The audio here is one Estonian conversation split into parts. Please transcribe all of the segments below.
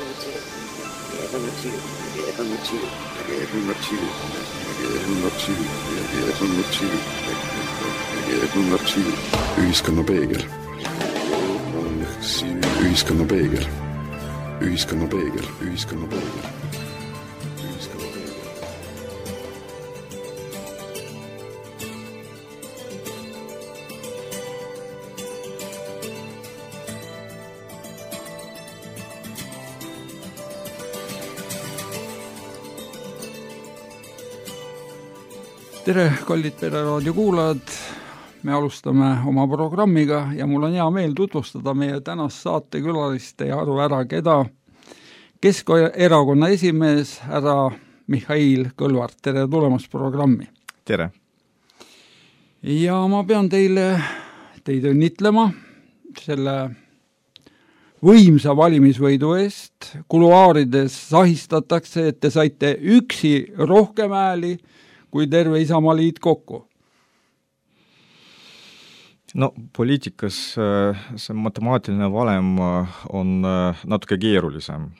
Ühiskonna peegel. Ühiskonna peegel. Ühiskonna peegel. Ühiskonna peegel. Tere, kallid Pereraadio kuulajad! Me alustame oma programmiga ja mul on hea meel tutvustada meie tänast saatekülalist ja aru ära, keda Keskerakonna esimees härra Mihhail Kõlvart. Tere tulemast programmi! Tere! Ja ma pean teid õnnitlema selle võimsa valimisvõidu eest. Kuluaarides sahistatakse, et te saite üksi rohkem hääli kui terve Isamaaliit kokku. No poliitikas see matemaatiline valem on natuke keerulisem.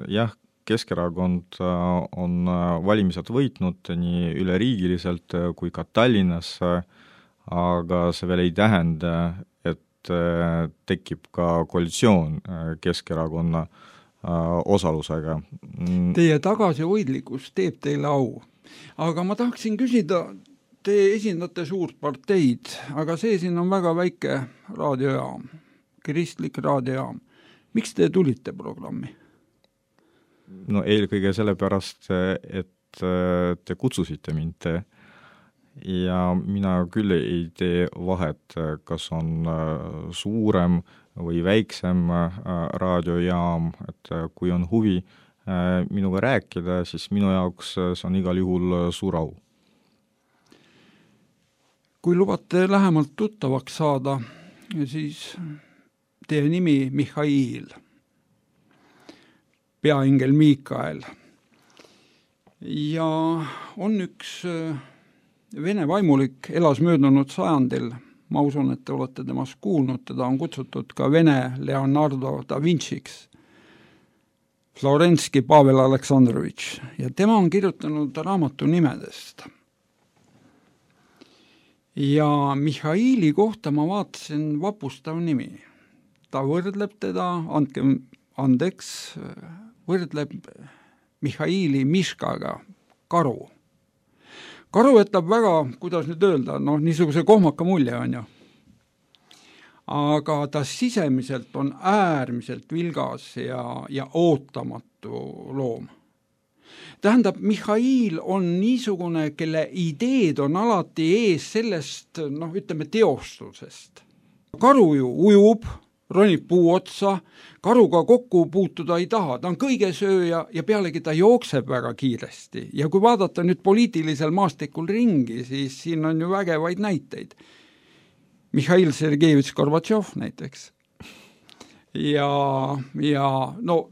Jah, Keskerakond on valimised võitnud nii üleriigiliselt kui ka Tallinnas, aga see veel ei tähenda, et tekib ka koalitsioon Keskerakonna osalusega. Teie tagasihoidlikkus teeb teile au. Aga ma tahaksin küsida, te esindate suurt parteid, aga see siin on väga väike raadiojaam, kristlik raadiojaam. Miks te tulite programmi? No eelkõige sellepärast, et te kutsusite mind ja mina küll ei tee vahet, kas on suurem või väiksem raadiojaam, et kui on huvi minuga rääkida, siis minu jaoks see on igal juhul suur au. Kui lubate lähemalt tuttavaks saada, siis teie nimi Mihhail, peaingel Miikael. Ja on üks vene vaimulik, elas möödunud sajandil, ma usun, et te olete temast kuulnud, teda on kutsutud ka Vene Leonardo da Vinciks, Florenski Pavel Aleksandrovitš, ja tema on kirjutanud raamatu nimedest. Ja Mihhaili kohta ma vaatasin vapustav nimi. Ta võrdleb teda, andke andeks, võrdleb Mihhaili Miškaga, karu. Karu jätab väga, kuidas nüüd öelda, niisuguse kohmaka mulje on ju. Aga ta sisemiselt on äärmiselt vilgas ja ootamatu loom. Tähendab, Mihhail on niisugune, kelle ideed on alati ees sellest, ütleme, teostusest. Karu ju ujub, ronib puu otsa, karuga kokku puutuda ei taha, ta on kõigesööja ja pealegi ta jookseb väga kiiresti. Ja kui vaadata nüüd poliitilisel maastikul ringi, siis siin on ju vägevaid näiteid. Mihhail Sergejevitš Gorbatšov näiteks. Ja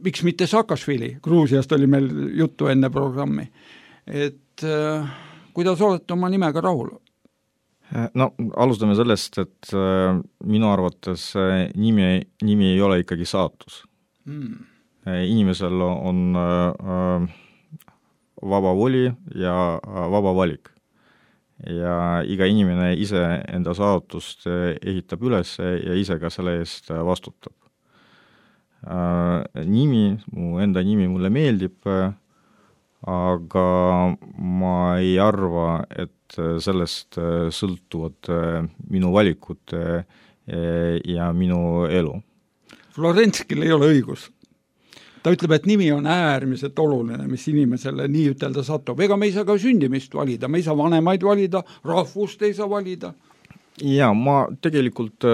miks mitte Saakašvili, Gruusiast oli meil juttu enne programmi. Et kuidas olete oma nimega rahul? No, alustame sellest, et minu arvates nimi ei ole ikkagi saatus. Inimesel on vaba voli ja vaba valik. Ja iga inimene ise enda saatust ehitab üles ja ise ka selle eest vastutab. Mu enda nimi mulle meeldib, aga ma ei arva, et sellest sõltuvad minu valikud ja minu elu. Florenskil ei ole õigus. Ta ütleb, et nimi on äärmiselt oluline, mis inimesele nii ütelda satub. Ega me ei saa ka sündimist valida, me ei saa vanemaid valida, rahvust ei saa valida. Ja ma tegelikult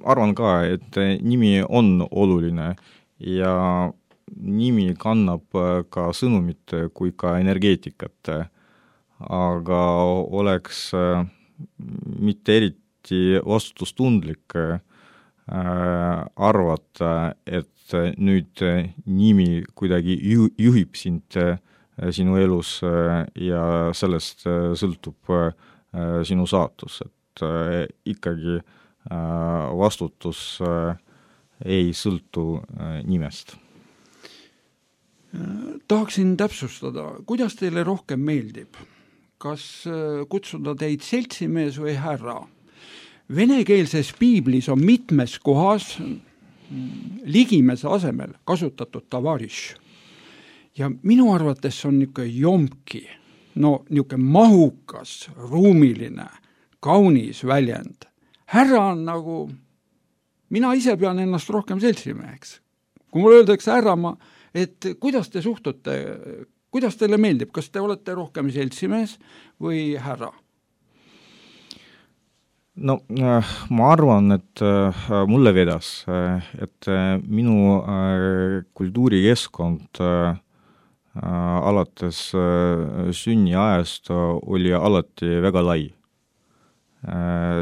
arvan ka, et nimi on oluline ja nimi kannab ka sõnumit kui ka energeetikat, aga oleks mitte eriti vastutustundlik arvata, et nüüd nimi kuidagi juhib sind sinu elus ja sellest sõltub sinu saatus, et ikkagi vastutus ei sõltu nimest. Tahaksin täpsustada, kuidas teile rohkem meeldib? Kas kutsuda teid seltsimees või härra? Venekeelses piiblis on mitmes kohas ligimese asemel kasutatud tavariš. Ja minu arvates on niisugune jomki, niisugune mahukas, ruumiline, kaunis väljend. Härra on nagu, mina ise pean ennast rohkem seltsimeheks. Kui mulle öeldakse härra, et kuidas te suhtute, kuidas teile meeldib, kas te olete rohkem seltsimees või härra? No ma arvan, et mulle vedas, et minu kultuurikeskkond alates sünniajast oli alati väga lai.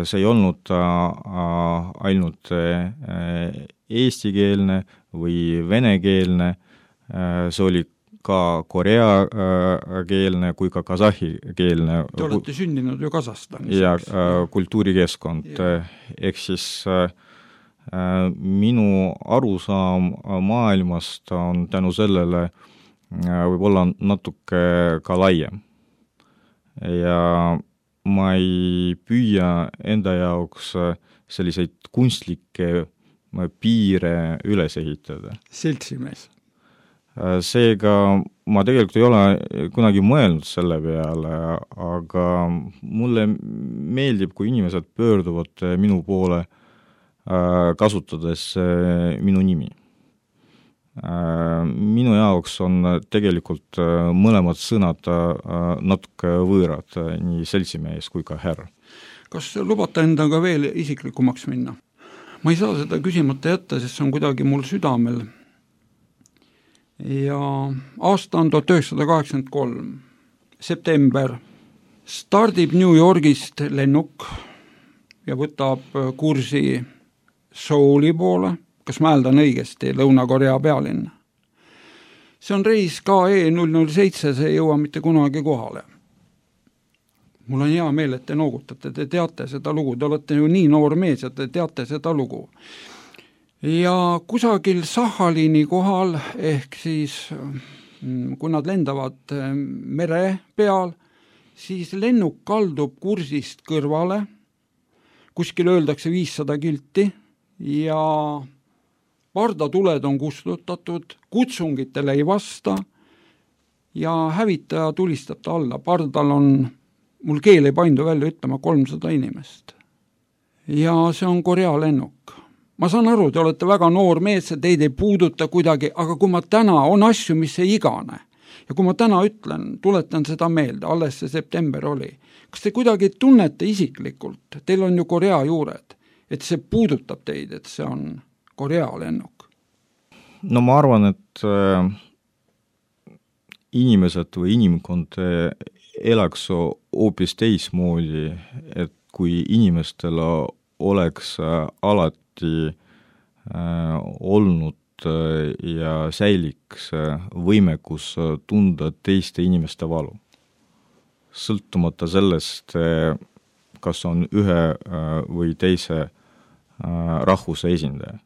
See ei olnud ainult eestikeelne või venekeelne, see oli ka koreakeelne kui ka kasahikeelne. Te olete sündinud ju Kasahstanis. Ja kultuurikeskkond. Ehk siis minu arusaam maailmast on tänu sellele võib-olla natuke ka laiem. Ja ma ei püüa enda jaoks selliseid kunstlikke piire üles ehitada. Seltsimees. Seega ma tegelikult ei ole kunagi mõelnud selle peale, aga mulle meeldib, kui inimesed pöörduvad minu poole kasutades minu nimi. Minu jaoks on tegelikult mõlemad sõnad natuke võõrad, nii seltsimees kui ka härra. Kas lubate endaga veel isiklikumaks minna? Ma ei saa seda küsimata jätta, sest see on kuidagi mul südamel. Ja aasta on 1983, september, stardib New Yorgist lennuk ja võtab kursi Souli poole, kas ma hääldan õigesti, Lõuna-Korea pealinna. See on reis KE 007, see ei jõua mitte kunagi kohale. Mul on hea meel, et te noogutate, te teate seda lugu, te olete ju nii noor mees ja te teate seda lugu. Ja kusagil Sahhalini kohal, ehk siis kui nad lendavad mere peal, siis lennuk kaldub kursist kõrvale, kuskil öeldakse 500 kilti ja pardatuled on kustutatud, kutsungitele ei vasta ja hävitaja tulistab ta alla. Pardal on, mul keel ei paindu välja ütlema, 300 inimest. Ja see on Korea lennuk. Ma saan aru, te olete väga noor mees, teid ei puuduta kuidagi, aga kui ma täna, on asju, mis ei igane. Ja kui ma täna ütlen, tuletan seda meelde, alles see september oli. Kas te kuidagi tunnete isiklikult, teil on ju Korea juured, et see puudutab teid, et see on Korea lennuk? No ma arvan, et inimesed või inimkond elaks hoopis teismoodi, et kui inimestel oleks alati olnud ja säiliks võimekus tunda teiste inimeste valu. Sõltumata sellest, kas on ühe või teise rahvuse esindaja.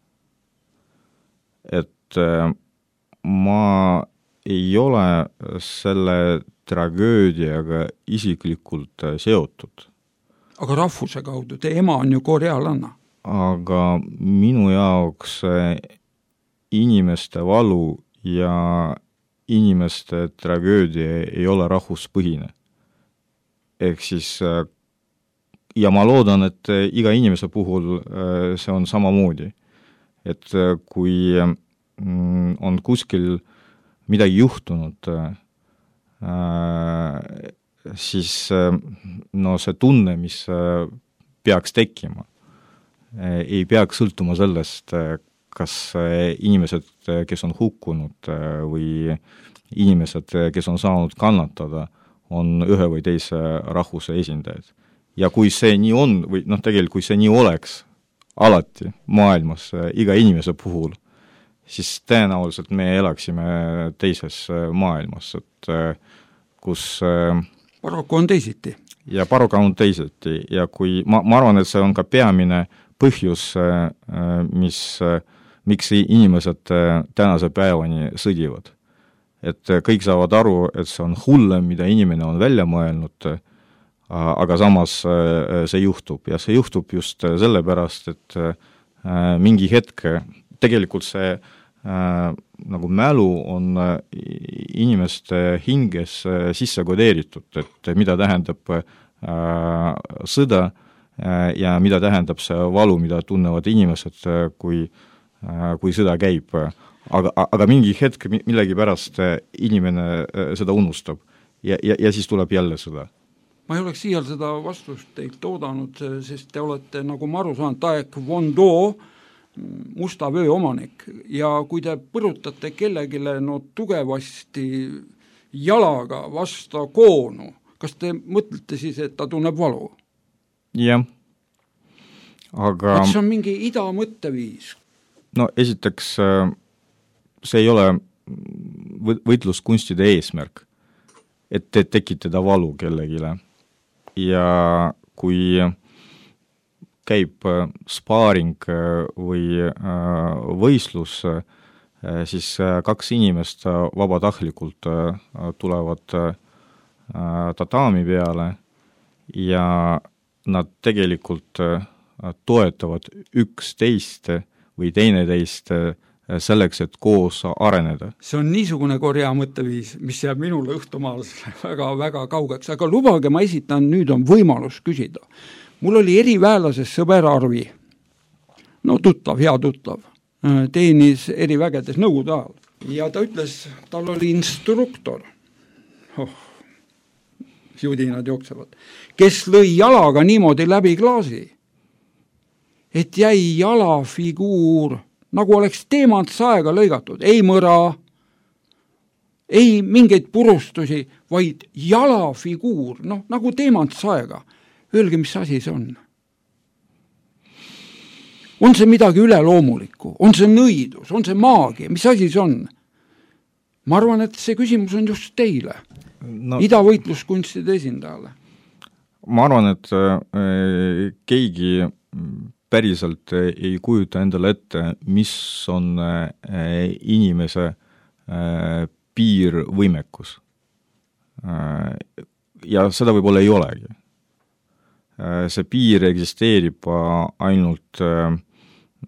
Et ma ei ole selle tragöödiaga isiklikult seotud. Aga rahvuse kaudu, te ema on ju korealanna. Aga minu jaoks inimeste valu ja inimeste tragöödia ei ole rahvuspõhine. Ehk siis, ja ma loodan, et iga inimese puhul see on samamoodi. Et kui on kuskil midagi juhtunud, siis see tunne, mis peaks tekkima, ei peaks sõltuma sellest, kas inimesed, kes on hukkunud või inimesed, kes on saanud kannatada, on ühe või teise rahvuse esindajad. Ja kui see nii on, või tegelikult kui see nii oleks alati maailmas iga inimese puhul, siis tõenäoliselt me elaksime teises maailmas, et kus paraku on teisiti. Ja paraku on teisiti. Ja kui, ma arvan, et see on ka peamine põhjus, miks inimesed tänase päevani sõdivad. et kõik saavad aru, et see on hullem, mida inimene on välja mõelnud, aga samas see juhtub ja see juhtub just sellepärast, et mingi hetk tegelikult see nagu mälu on inimeste hinges sisse kodeeritud, et mida tähendab sõda ja mida tähendab see valu, mida tunnevad inimesed, kui sõda käib. Aga mingi hetk millegipärast inimene seda unustab ja siis tuleb jälle sõda. Ma ei oleks siial seda vastust teilt oodanud, sest te olete, nagu ma aru saan, taekwondo musta vöö omanik ja kui te põrutate kellegile tugevasti jalaga vasta koonu, kas te mõtlete siis, et ta tunneb valu? Jah, aga... see on mingi ida mõtteviis. No esiteks see ei ole võitluskunstide eesmärk, et tekitada valu kellegile. Ja kui käib spaaring või võistlus, siis kaks inimest vabatahtlikult tulevad tatami peale ja nad tegelikult toetavad üksteist või teineteist selleks, et koos areneda. See on niisugune Korea mõtteviis, mis jääb minule õhtumaal väga kaugeks, aga lubage, ma esitan, nüüd on võimalus küsida. Mul oli eriväelases sõber Arvi, tuttav, hea tuttav, teenis erivägedes Nõukogude ajal ja ta ütles, tal oli instruktor, judinad jooksevad, kes lõi jalaga niimoodi läbi klaasi, et jäi jalafiguur nagu oleks teemantsaega lõigatud, ei mõra, ei mingeid purustusi, vaid jalafiguur, nagu teemantsaega. Öelge, mis asi see on? On see midagi üleloomulikku? On see nõidus? On see maagia? Mis asi see on? Ma arvan, et see küsimus on just teile, idavõitluskunstide esindajale. Ma arvan, et keegi päriselt ei kujuta endale ette, mis on inimese piirvõimekus. Ja seda võib-olla ei olegi. See piir eksisteerib ainult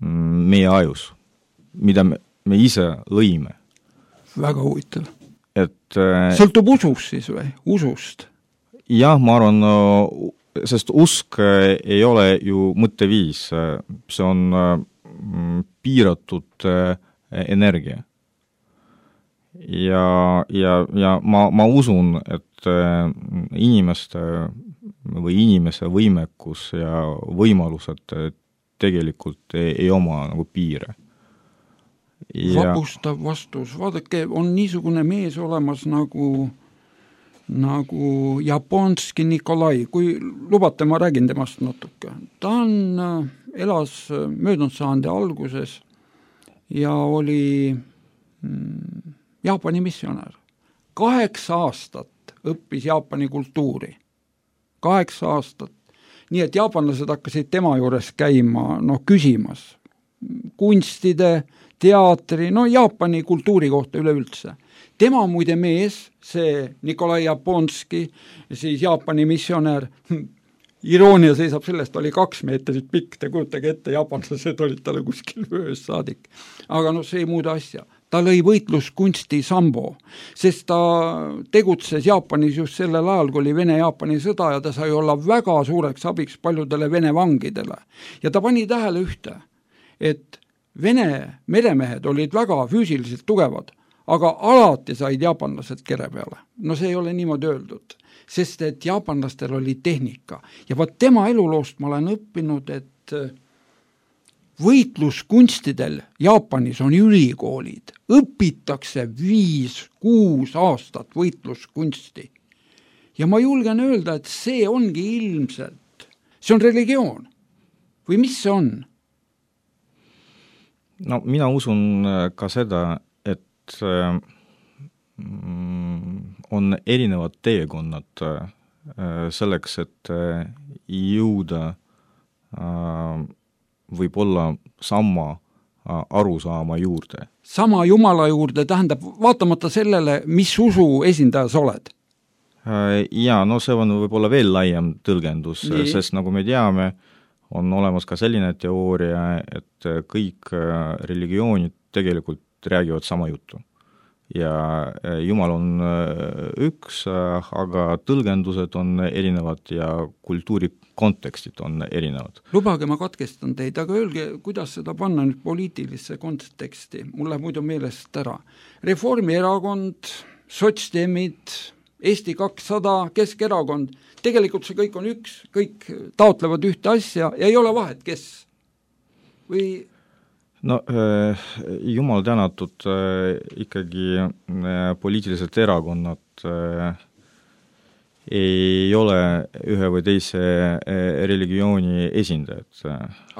meie ajus, mida me ise lõime. Väga huvitav. Sõltub usust siis või? Usust? Jah, ma arvan, sest usk ei ole ju mõtteviis, see on piiratud energia. Ja ma usun, et inimeste võimekus ja võimalused tegelikult ei oma nagu piire. Vapustav vastus, vaadake, on niisugune mees olemas nagu Japonski Nikolai, kui lubate, ma räägin temast natuke. Ta elas möödunud sajandi alguses ja oli Jaapani missionär. 8 aastat õppis Jaapani kultuuri. 8 aastat. Nii et jaapanlased hakkasid tema juures käima, küsimas kunstide, teatri, Jaapani kultuuri kohta üleüldse. Tema muide mees, see Nikolai Japonski, siis Jaapani missionär, iroonia seisab sellest, oli 2 meetrit pikk, te kujutage ette, jaapanlased olid talle kuskil vöös saadik. Aga see ei muuda asja. Ta lõi võitluskunsti sambo, sest ta tegutses Jaapanis just sellel ajal, kui oli Vene-Jaapani sõda ja ta sai olla väga suureks abiks paljudele Vene vangidele. Ja ta pani tähele ühte, et Vene meremehed olid väga füüsiliselt tugevad, aga alati said jaapanlased kere peale. See ei ole niimoodi öeldud, sest et jaapanlastel oli tehnika. Ja tema eluloost ma olen õppinud, et võitluskunstidel Jaapanis on ülikoolid, õpitakse 5-6 aastat võitluskunsti. Ja ma julgen öelda, et see ongi ilmselt, see on religioon. Või mis see on? Mina usun ka seda, et on erinevad teekonnad selleks, et jõuda võib-olla sama arusaama juurde. Sama Jumala juurde, tähendab, vaatamata sellele, mis usu esindaja sa oled? Jaa, no see on võib-olla veel laiem tõlgendus, sest nagu me teame, on olemas ka selline teooria, et kõik religioonid tegelikult räägivad sama juttu. Ja Jumal on üks, aga tõlgendused on erinevad ja kultuuri kontekstid on erinevad. Lubage, ma katkestan teid, aga öelge, kuidas seda panna nüüd poliitilisse konteksti? Mul läheb muidu meelest ära. Reformierakond, sotsdemid, Eesti 200, Keskerakond, tegelikult see kõik on üks, kõik taotlevad ühte asja ja ei ole vahet, kes? Või... No jumal tänatud ikkagi poliitilised erakonnad ei ole ühe või teise religiooni esindajad.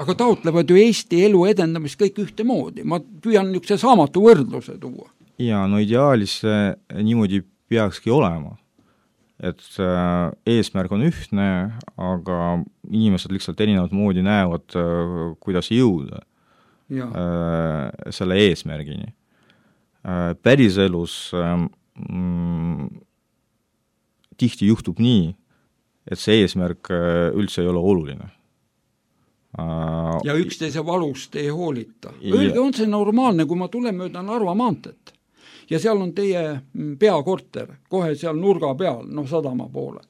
Aga taotlevad ju Eesti elu edendamist kõik ühte moodi. Ma püüan niisuguse saamatu võrdluse tuua. Ja, no ideaalis niimoodi peakski olema. Et eesmärk on ühtne, aga inimesed lihtsalt erinevad moodi näevad, kuidas jõuda selle eesmärgini. Päriselus tihti juhtub nii, et see eesmärk üldse ei ole oluline. Ja üksteise valust ei hoolita. Öelge, on see normaalne, kui ma tulen mööda Narva maantet ja seal on teie peakorter, kohe seal nurga peal, sadama poole.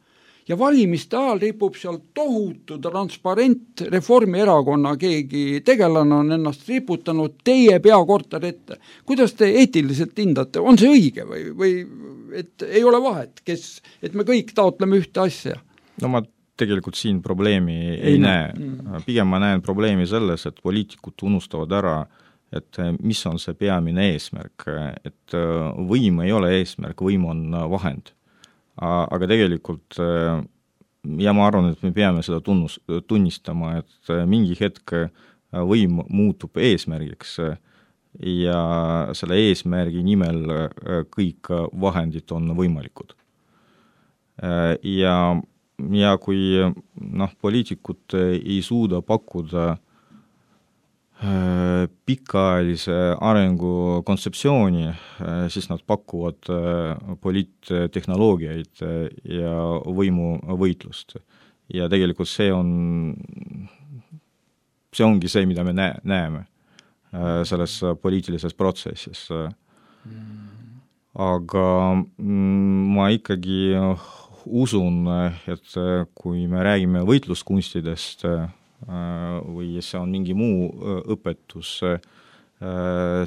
Ja valimiste ajal ripub seal tohutu transparent, Reformierakonna keegi tegelane on ennast riputanud teie peakorter ette. Kuidas te eetiliselt hindate? On see õige või et ei ole vahet, et me kõik taotleme ühte asja? No ma tegelikult siin probleemi ei näe. Pigem ma näen probleemi selles, et poliitikud unustavad ära, et mis on see peamine eesmärk, et võim ei ole eesmärk, võim on vahend. Aga tegelikult ja ma arvan, et me peame seda tunnistama, et mingi hetk võim muutub eesmärgiks ja selle eesmärgi nimel kõik vahendid on võimalikud. Ja kui poliitikud ei suuda pakkuda pikaajalise arengu kontseptsiooni, siis nad pakuvad poliittehnoloogiaid ja võimuvõitlust. Ja tegelikult see ongi see, mida me näeme selles poliitilises protsessis. Aga ma ikkagi usun, et kui me räägime võitluskunstidest või see on mingi muu õpetus,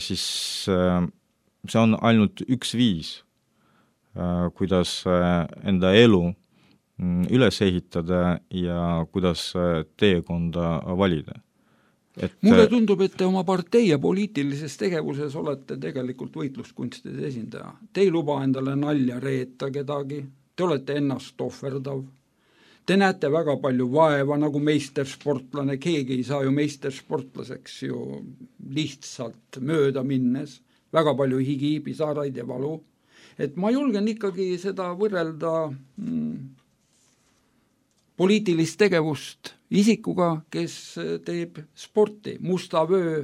siis see on ainult üks viis, kuidas enda elu üles ehitada ja kuidas teekonda valida. Mulle tundub, et te oma partei ja poliitilises tegevuses olete tegelikult võitluskunstide esindaja. Te ei luba endale nalja reeta kedagi, te olete ennast ohverdav. Te näete väga palju vaeva nagu meistersportlane, keegi ei saa ju meistersportlaseks ju lihtsalt mööda minnes, väga palju higi, pisaraid ja valu. Et ma julgen ikkagi seda võrrelda poliitilist tegevust isikuga, kes teeb sporti, musta vöö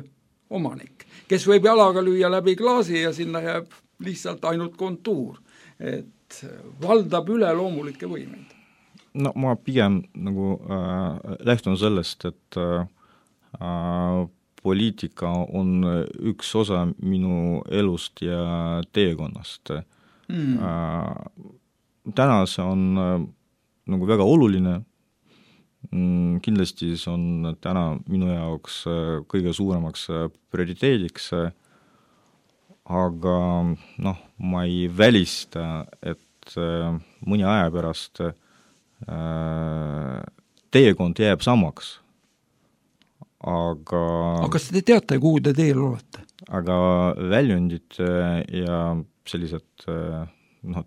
omanik, kes võib jalaga lüüa läbi klaasi ja sinna jääb lihtsalt ainult kontuur, et valdab üle loomulikke võimeid. No ma pigem lähtun sellest, et poliitika on üks osa minu elust ja teekonnast. Täna see on väga oluline, kindlasti see on täna minu jaoks kõige suuremaks prioriteediks, aga ma ei välista, et mõni aja pärast teekond jääb samaks. Aga kas te teate, kuhu te teel olete? Aga väljundid ja sellised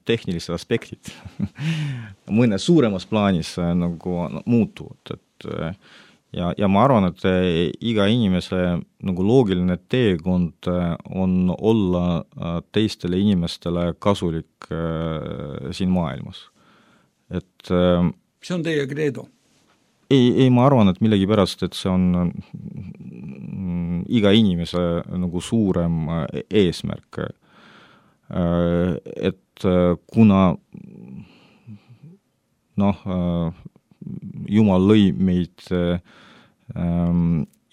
tehnilised aspektid mõne suuremas plaanis muutuvad. Ja ma arvan, et iga inimese loogiline teekond on olla teistele inimestele kasulik siin maailmas. See on teie credo? Ei, ma arvan, et millegi pärast, et see on iga inimese nagu suurem eesmärk. Et kuna Jumal lõi meid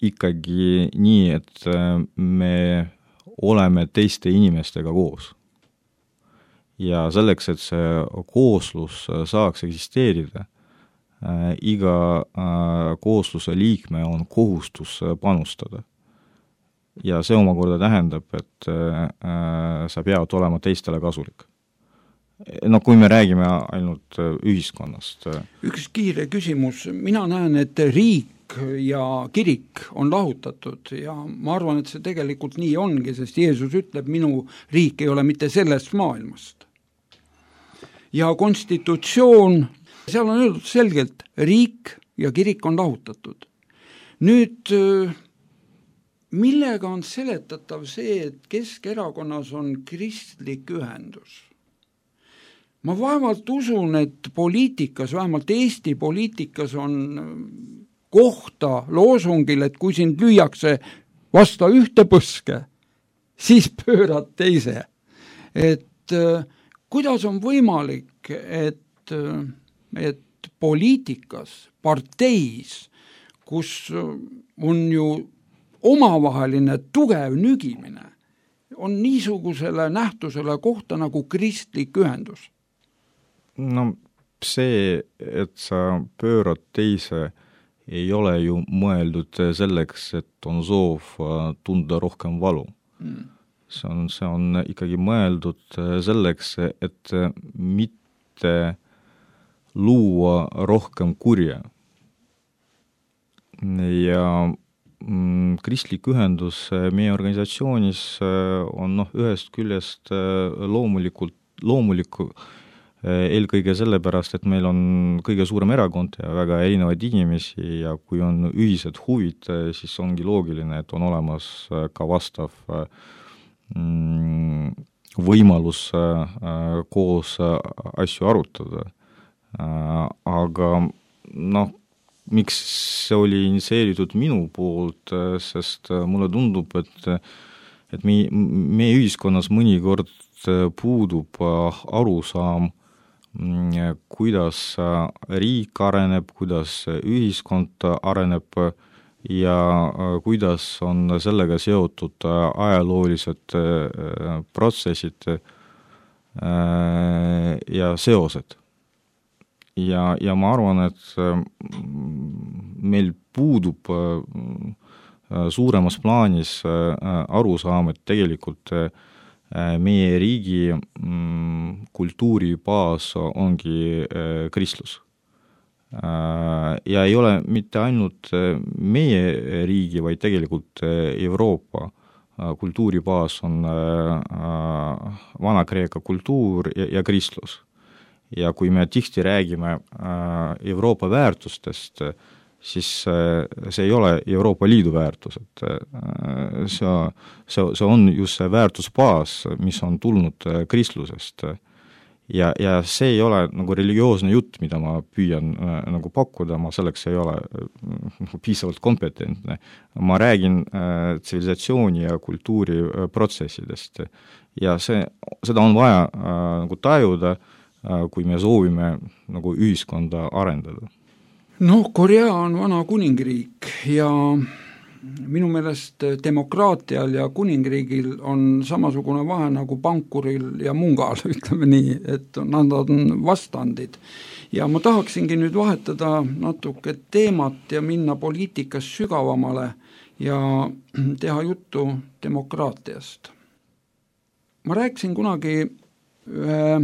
ikkagi nii, et me oleme teiste inimestega koos. Ja selleks, et see kooslus saaks eksisteerida, iga koosluse liikme on kohustus panustada. Ja see omakorda tähendab, et sa pead olema teistele kasulik. Kui me räägime ainult ühiskonnast. Üks kiire küsimus. Mina näen, et riik ja kirik on lahutatud ja ma arvan, et see tegelikult nii ongi, sest Jeesus ütleb, minu riik ei ole mitte sellest maailmast. Ja konstitutsioon, seal on öeldud selgelt, riik ja kirik on lahutatud. Nüüd, millega on seletatav see, et Keskerakonnas on kristlik ühendus? Ma vaevalt usun, et poliitikas, vähemalt Eesti poliitikas on kohta loosungil, et kui sind lüüakse vasta ühte põske, siis pöörad teise. Et kuidas on võimalik, et poliitikas, parteis, kus on ju omavaheline tugev nügimine, on niisugusele nähtusele kohta nagu kristlik ühendus? See, et sa pöörad teise, ei ole ju mõeldud selleks, et on soov tunda rohkem valu. See on ikkagi mõeldud selleks, et mitte luua rohkem kurja. Ja kristlik ühendus meie organisatsioonis on ühest küljest loomuliku eelkõige sellepärast, et meil on kõige suurem erakond ja väga erinevaid inimesi ja kui on ühised huvid, siis ongi loogiline, et on olemas ka vastav võimalus koos asju arutada. Aga miks see oli initsieeritud minu poolt, sest mulle tundub, et meie ühiskonnas mõnikord puudub arusaam, kuidas riik areneb, kuidas ühiskond areneb ja kuidas on sellega seotud ajaloolised protsessid ja seosed. Ja ma arvan, et meil puudub suuremas plaanis arusaam, et tegelikult meie riigi kultuuribaas ongi kristlus. Ja ei ole mitte ainult meie riigi, vaid tegelikult Euroopa kultuuribaas on Vana-Kreeka kultuur ja kristlus. Ja kui me tihti räägime Euroopa väärtustest, siis see ei ole Euroopa Liidu väärtus, et see on just see väärtusbaas, mis on tulnud kristlusest. Ja see ei ole nagu religioosne jutt, mida ma püüan nagu pakkuda, ma selleks ei ole piisavalt kompetentne. Ma räägin tsivilisatsiooni ja kultuuri protsessidest ja seda on vaja nagu tajuda, kui me soovime nagu ühiskonda arendada. Korea on vana kuningriik ja minu meelest demokraatial ja kuningriigil on samasugune vahe nagu pankuril ja mungal, ütleme nii, et nad on vastandid. Ja ma tahaksingi nüüd vahetada natuke teemat ja minna poliitikas sügavamale ja teha juttu demokraatiast. Ma rääkisin kunagi ühe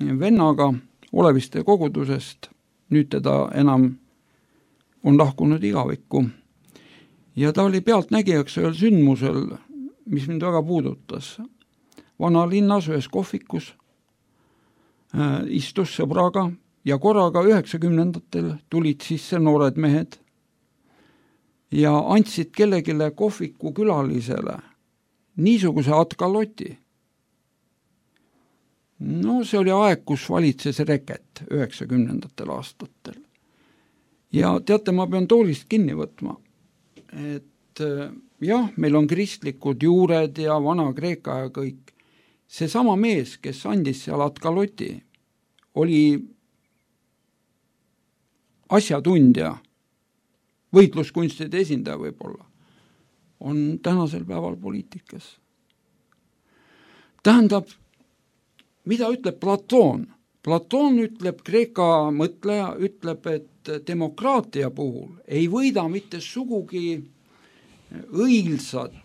vennaga Oleviste kogudusest, nüüd teda enam on lahkunud igavikku. Ja ta oli pealtnägijaks ühel sündmusel, mis mind väga puudutas. Vana linnas ühes kohvikus istus sõbraga ja korraga 90-ndatel tulid sisse noored mehed ja andsid kellegile kohviku külalisele niisuguse atkaloti. See oli aeg, kus valitses reket 90-ndatel aastatel. Ja teate, ma pean toolist kinni võtma, et jah, meil on kristlikud juured ja Vana-Kreeka ja kõik. See sama mees, kes andis seal Atkaloti, oli asjatundja, võitluskunstide esindaja võib-olla, on tänasel päeval poliitikas. Tähendab, mida ütleb Platoon? Platoon ütleb, Kreeka mõtleja ütleb, et demokraatia puhul ei võida mitte sugugi õilsad,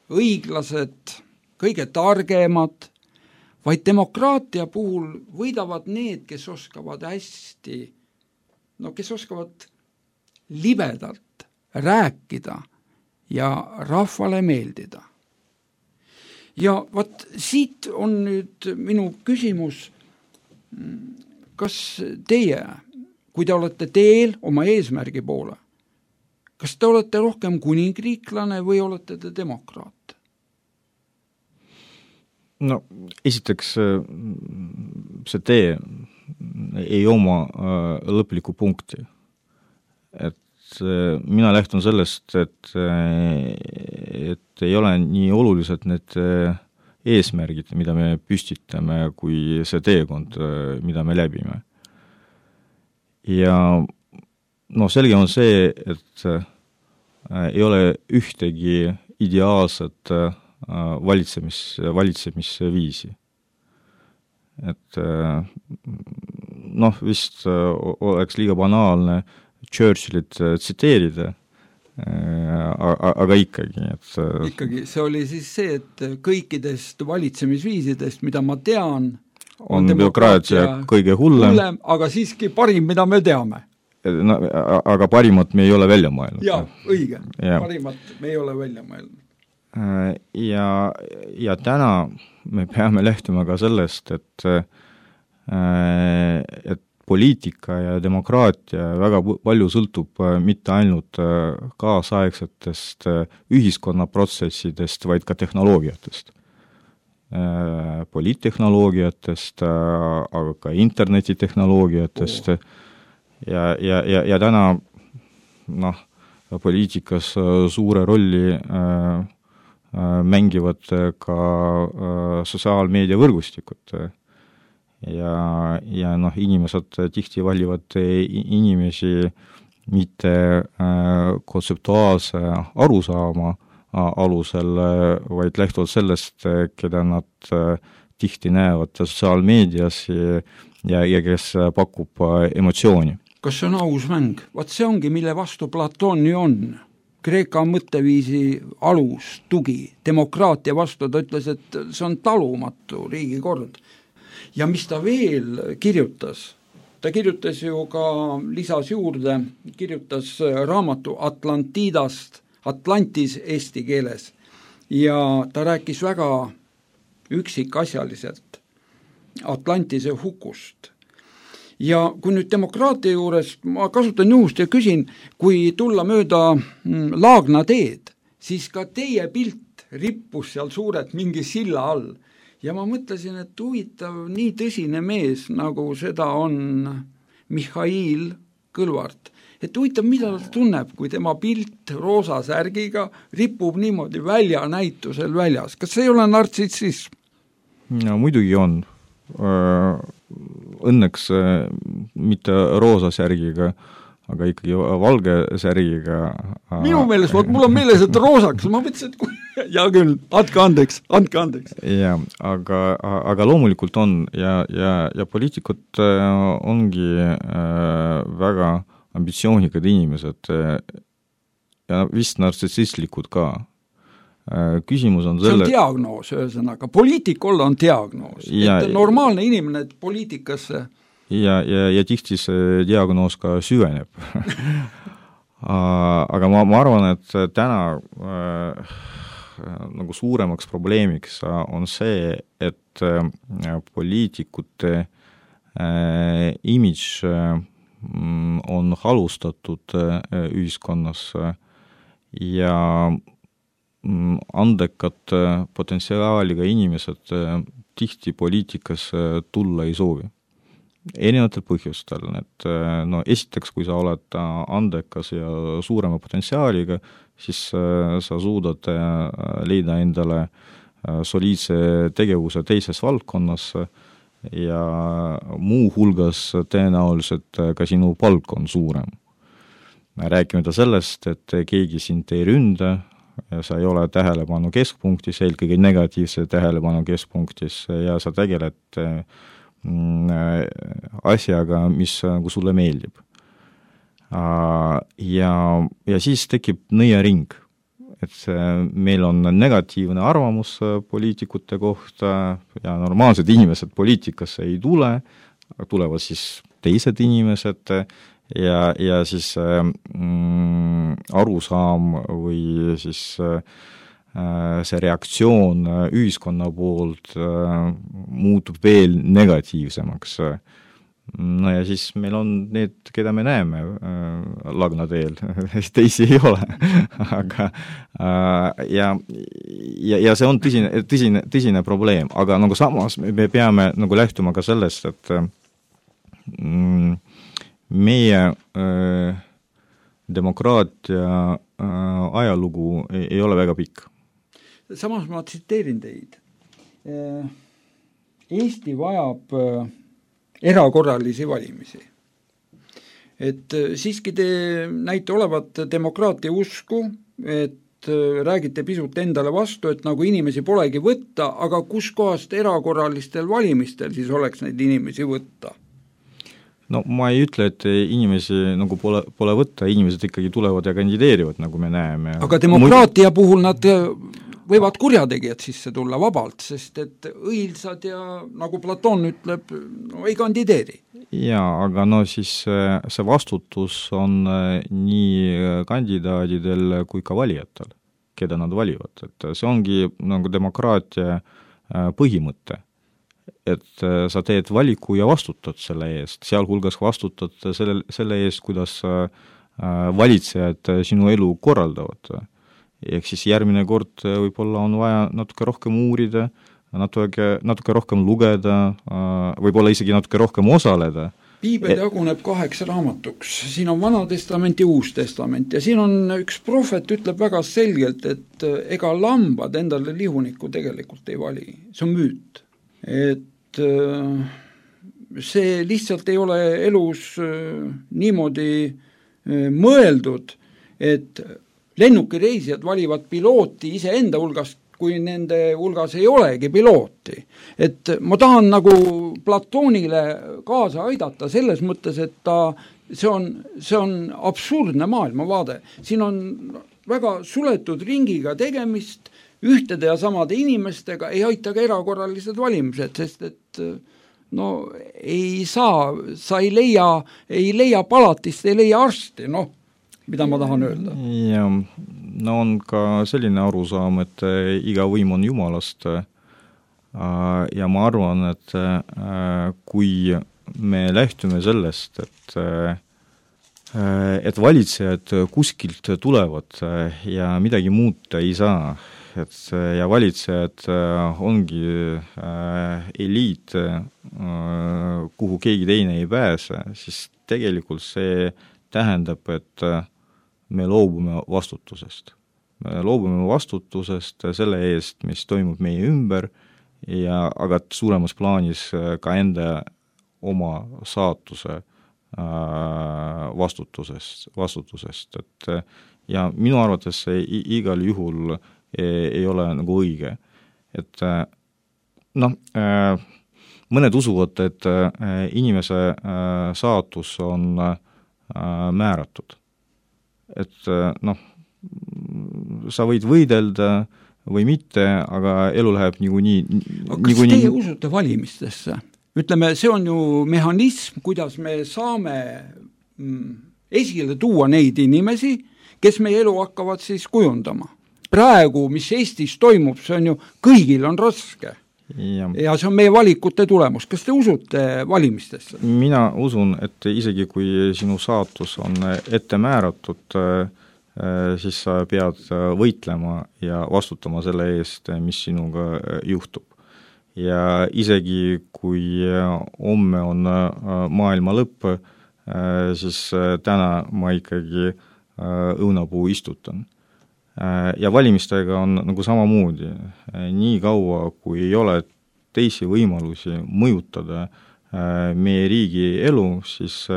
õiglased, kõige targemad, vaid demokraatia puhul võidavad need, kes oskavad hästi, kes oskavad libedalt rääkida ja rahvale meeldida. Ja vaat siit on nüüd minu küsimus, kas teie, kui te olete teel oma eesmärgi poole, kas te olete rohkem kuningriiklane või olete te demokraat? No esiteks see tee ei oma lõplikku punkti. Et mina lähtun sellest, et ei ole nii olulised need eesmärgid, mida me püstitame, kui see teekond, mida me läbime. Ja selge on see, et ei ole ühtegi ideaalset valitsemisviisi. Et vist oleks liiga banaalne Churchillit tsiteerida, aga ikkagi. Ikkagi, see oli siis see, et kõikidest valitsemisviisidest, mida ma tean, on bürokraatia kõige hullem, aga siiski parim, mida me teame. Aga parimat me ei ole välja mõelnud. Jaa, õige. Parimat me ei ole välja mõelnud. Ja täna me peame lähtuma ka sellest, et poliitika ja demokraatia väga palju sõltub mitte ainult kaasaegsetest ühiskonnaprotsessidest, vaid ka tehnoloogiatest. Poliittehnoloogiatest, aga ka internetitehnoloogiatest. Ja täna poliitikas suure rolli mängivad ka sotsiaalmeedia võrgustikud. Ja inimesed tihti valivad inimesi mitte kontseptuaalse arusaama alusel, vaid lähtuvalt sellest, keda nad tihti näevad sotsiaalmeedias ja kes pakub emotsiooni. Kas see on aus mäng? Vaat see ongi, mille vastu Platoon ju on. Kreeka mõtteviisi alus, tugi, demokraatia vastu, ta ütles, et see on talumatu riigikord. Ja mis ta veel kirjutas? Ta kirjutas ju ka, lisas juurde, kirjutas raamatu Atlantis eesti keeles ja ta rääkis väga üksikasjaliselt Atlantise hukust. Ja kui nüüd demokraatia juures, ma kasutan juhust ja küsin, kui tulla mööda Laagna teed, siis ka teie pilt rippus seal suurelt mingi silla all. Ja ma mõtlesin, et huvitav, nii tõsine mees, nagu seda on Mihhail Kõlvart. Et huvitav, mida ta tunneb, kui tema pilt roosa särgiga ripub niimoodi väljanäitusel väljas. Kas see ei ole nartsissism? No muidugi on. Õnneks mitte roosa särgiga, aga ikkagi valge särgiga. Minu meelest, mul on meeles, et roosaks, ma mõtlesin, et ja küll, andke andeks. Ja, aga loomulikult on ja poliitikud ongi väga ambitsioonikad inimesed ja vist nartsissistlikud ka. Küsimus on selle... See on diagnoos, ühesõnaga. Poliitik olla on diagnoos. Et normaalne inimene poliitikasse... Ja tihti see diagnoos ka süveneb. Aga ma arvan, et täna nagu suuremaks probleemiks on see, et poliitikute imidž on halustatud ühiskonnas ja andekad potentsiaaliga inimesed tihti poliitikas tulla ei soovi. erinevatel põhjustel, et no esiteks, kui sa oled andekas ja suurema potentsiaaliga, siis sa suudad leida endale soliidse tegevuse teises valdkonnas ja muu hulgas tõenäoliselt ka sinu palk on suurem. Rääkimata sellest, et keegi sind ei ründa, sa ei ole tähelepanu keskpunktis, eelkõige negatiivse tähelepanu keskpunktis ja sa tegeled asjaga, mis nagu sulle meeldib. Ja siis tekib nõiaring, et meil on negatiivne arvamus poliitikute kohta ja normaalsed inimesed poliitikasse ei tule, tulevad siis teised inimesed ja siis arusaam või siis see reaktsioon ühiskonna poolt muutub veel negatiivsemaks. No ja siis meil on need, keda me näeme Lagna teel, teisi ei ole. Aga, ja see on tõsine probleem, aga nagu samas me peame nagu lähtuma ka sellest, et meie demokraatia ajalugu ei ole väga pikk. Samas ma tsiteerin teid. Eesti vajab erakorralisi valimisi. Et siiski te näite olevat demokraatia usku, et räägite pisut endale vastu, et nagu inimesi polegi võtta, aga kus kohast erakorralistel valimistel siis oleks neid inimesi võtta? No ma ei ütle, et inimesi nagu pole võtta, inimesed ikkagi tulevad ja kandideerivad, nagu me näeme. Aga demokraatia puhul nad võivad kurjategijad sisse tulla vabalt, sest et õilsad ja nagu Platon ütleb, no ei kandideeri. Jaa, aga no siis see vastutus on nii kandidaadidel kui ka valijatel, keda nad valivad. Et see ongi nagu demokraatia põhimõte, et sa teed valiku ja vastutad selle eest, sealhulgas vastutad selle eest, kuidas valitsejad sinu elu korraldavad. Ehk siis järgmine kord võib-olla on vaja natuke rohkem uurida, natuke rohkem lugeda, võib-olla isegi natuke rohkem osaleda. Piibel jaguneb 8 raamatuks. Siin on Vana Testament ja Uus Testament ja siin on üks prohvet ütleb väga selgelt, et ega lambad endale lihunikku tegelikult ei vali. See on müüt. Et see lihtsalt ei ole elus niimoodi mõeldud, et lennukireisijad valivad pilooti iseenda hulgast, kui nende hulgas ei olegi pilooti. Et ma tahan nagu Platonile kaasa aidata selles mõttes, et see on absurdne maailmavaade. Siin on väga suletud ringiga tegemist, ühtede ja samade inimestega ei aita ka erakorralised valimised, sest et no ei saa, sa ei leia palatist, ei leia arsti, mida ma tahan öelda? Ja, no on ka selline arusaam, et iga võim on Jumalast ja ma arvan, et kui me lähtume sellest, et valitsejad kuskilt tulevad ja midagi muuta ei saa, ja valitsejad ongi eliit, kuhu keegi teine ei pääse, siis tegelikult see tähendab, et me loobume vastutusest. Me loobume vastutusest selle eest, mis toimub meie ümber, aga suuremas plaanis ka enda oma saatuse vastutusest. Ja minu arvates see igal juhul ei ole nagu õige. Et mõned usuvad, et inimese saatus on määratud. Et sa võid võidelda või mitte, aga elu läheb niikuinii. Kas teie usute valimistesse? Ütleme, see on ju mehhanism, kuidas me saame esile tuua neid inimesi, kes meie elu hakkavad siis kujundama. Praegu, mis Eestis toimub, see on ju, kõigil on raske. Ja see on meie valikute tulemus. Kas te usute valimistesse? Mina usun, et isegi kui sinu saatus on ette määratud, siis sa pead võitlema ja vastutama selle eest, mis sinuga juhtub. ja isegi kui homme on maailma lõpp, siis täna ma ikkagi õunapuu istutan. Ja valimistega on nagu samamoodi. Nii kaua, kui ei ole teisi võimalusi mõjutada meie riigi elu, siis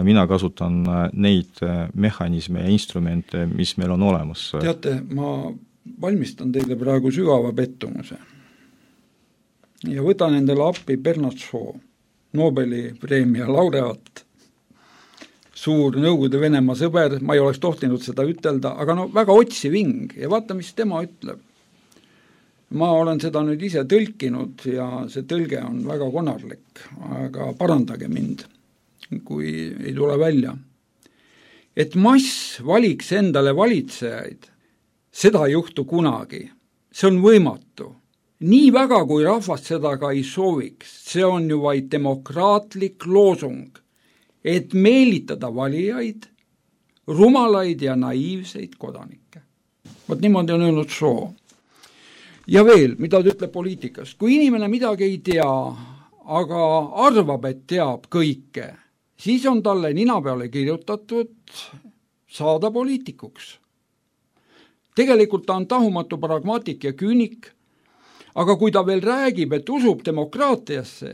mina kasutan neid mehhanisme ja instrumente, mis meil on olemas. Teate, ma valmistan teile praegu sügava pettumuse ja võtan endale appi Bernard Shaw, Nobeli preemia laureaat, suur Nõukogude Venemaa sõber, ma ei oleks tohtinud seda ütelda, aga no väga otsiv hing ja vaata, mis tema ütleb. Ma olen seda nüüd ise tõlkinud ja see tõlge on väga konarlik, aga parandage mind, kui ei tule välja. Et mass valiks endale valitsejaid, seda ei juhtu kunagi. See on võimatu. Nii väga, kui rahvast seda ka ei sooviks, see on ju vaid demokraatlik loosung, et meelitada valijaid, rumalaid ja naiivseid kodanikke. Vot niimoodi on öelnud Shaw. Ja veel, mida ta ütleb poliitikast. Kui inimene midagi ei tea, aga arvab, et teab kõike, siis on talle nina peale kirjutatud saada poliitikuks. Tegelikult ta on tahumatu pragmaatik ja küünik, aga kui ta veel räägib, et usub demokraatiasse,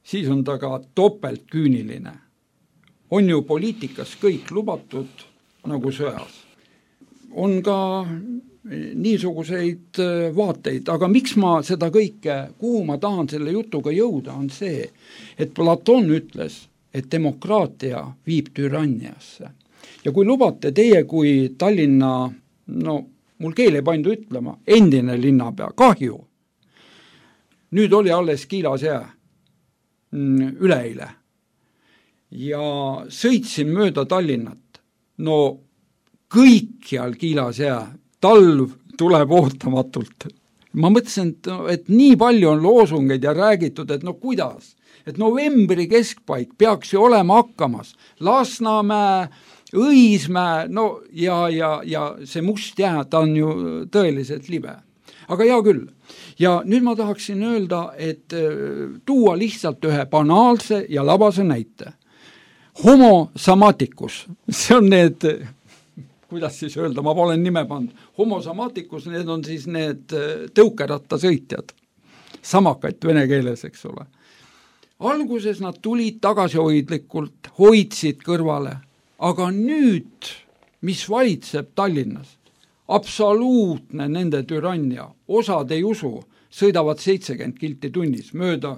siis on ta ka topelt küüniline. On ju poliitikas kõik lubatud nagu sõjas. On ka niisuguseid vaateid, aga miks ma seda kõike, kuhu ma tahan selle jutuga jõuda, on see, et Platon ütles, et demokraatia viib türanniasse. Ja kui lubate teie kui Tallinna, no mul keel ei pandu ütlema, endine linnapea, kahju. Nüüd oli alles Kiilas jää üleeile ja sõitsin mööda Tallinnat. No kõikjal Kiilas jää, talv tuleb ootamatult. Ma mõtlesin, et nii palju on loosungeid ja räägitud, et no kuidas, et novembri keskpaik peaks ju olema hakkamas. Lasnamäe, Õismäe, no ja see must jää, ta on ju tõeliselt libe. Aga hea küll. Ja nüüd ma tahaksin öelda, et tuua lihtsalt ühe banaalse ja labase näite. Homo samaticus, see on need, kuidas siis öelda, ma olen nime pannud. Homo samaticus, need on siis need tõukerattasõitjad. Samakait vene keeles, eks ole. Alguses nad tulid tagasihoidlikult, hoidsid kõrvale, aga nüüd, mis valitseb Tallinnas, absoluutne nende türannia, osad ei usu, sõidavad 70 kilti tunnis mööda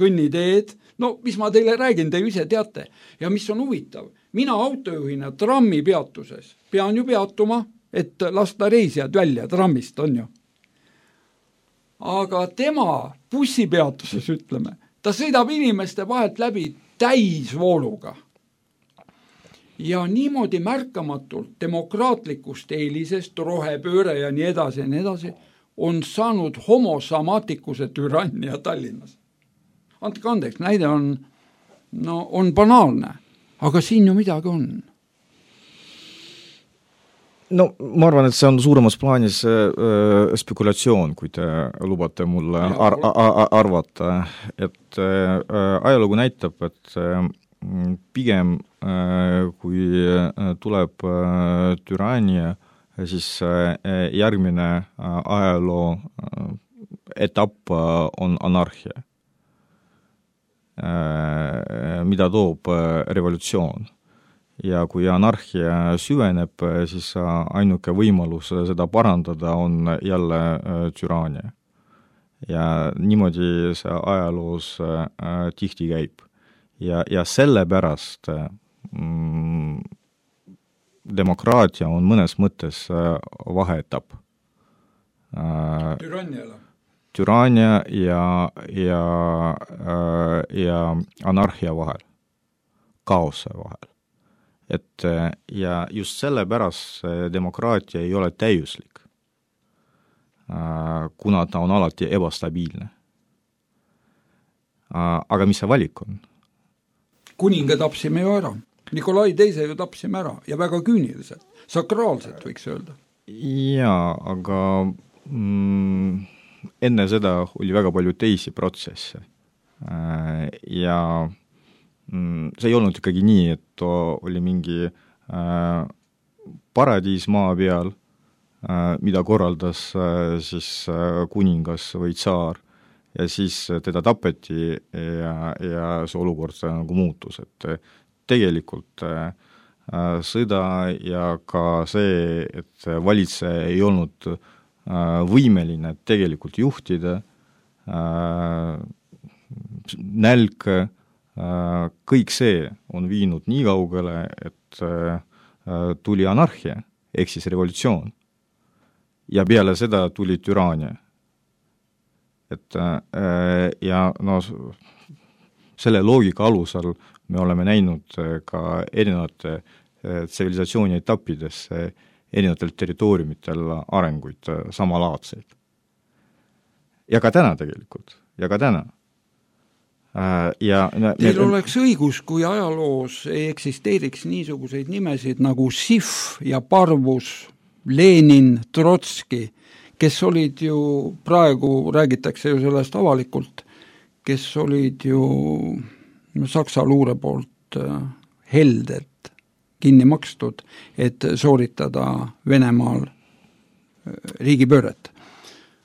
kõnniteed, no mis ma teile räägin, te ise teate, ja mis on huvitav, mina autojuhina trammi peatuses pean ju peatuma, et lasta reisijad välja trammist, on ju. Aga tema bussipeatuses, ütleme, ta sõidab inimeste vahelt läbi täisvooluga. Ja niimoodi märkamatult demokraatlikust eelisest, rohepööre ja nii edasi, on saanud homo samaticuse türannia Tallinnas. Andke andeks, näide on banaalne, aga siin ju midagi on. No ma arvan, et see on suuremas plaanis spekulatsioon, kui te lubate mulle arvata, et ajalugu näitab, et pigem kui tuleb türannia, siis järgmine ajaloo etapp on anarhia, mida toob revolutsioon. Ja kui anarhia süveneb, siis ainuke võimalus seda parandada on jälle türannia. Ja niimoodi see ajaloos tihti käib. Ja sellepärast demokraatia on mõnes mõttes vaheetapp. Türannia ja anarhia vahel, kaose vahel. Ja just sellepärast demokraatia ei ole täiuslik, kuna ta on alati ebastabiilne. Aga mis see valik on? Kuninga tapsime ju ära. Nikolai teise ju tapsime ära ja väga küüniliselt, sakraalselt võiks öelda. Jaa, aga enne seda oli väga palju teisi protsesse. Ja see ei olnud ikkagi nii, et oli mingi paradiis maa peal, mida korraldas siis kuningas või tsaar ja siis teda tapeti ja see olukord nagu muutus, et tegelikult sõda ja ka see, et valitseja ei olnud võimeline tegelikult juhtida, nälg, kõik see on viinud nii kaugele, et tuli anarhia, ehk siis revolutsioon. Ja peale seda tuli türaania. Et, ja no, selle loogika alusel me oleme näinud ka erinevate tsivilisatsiooni etappides erinevatel territooriumitel arenguid samalaadseid. Ja ka täna tegelikult, ja ka täna. Teil oleks õigus, kui ajaloos ei eksisteeriks niisuguseid nimesid nagu Sif ja Parvus, Lenin, Trotski, kes olid ju, praegu räägitakse ju sellest avalikult, kes olid ju Saksa luure poolt heldelt kinni makstud, et sooritada Venemaal riigipööret.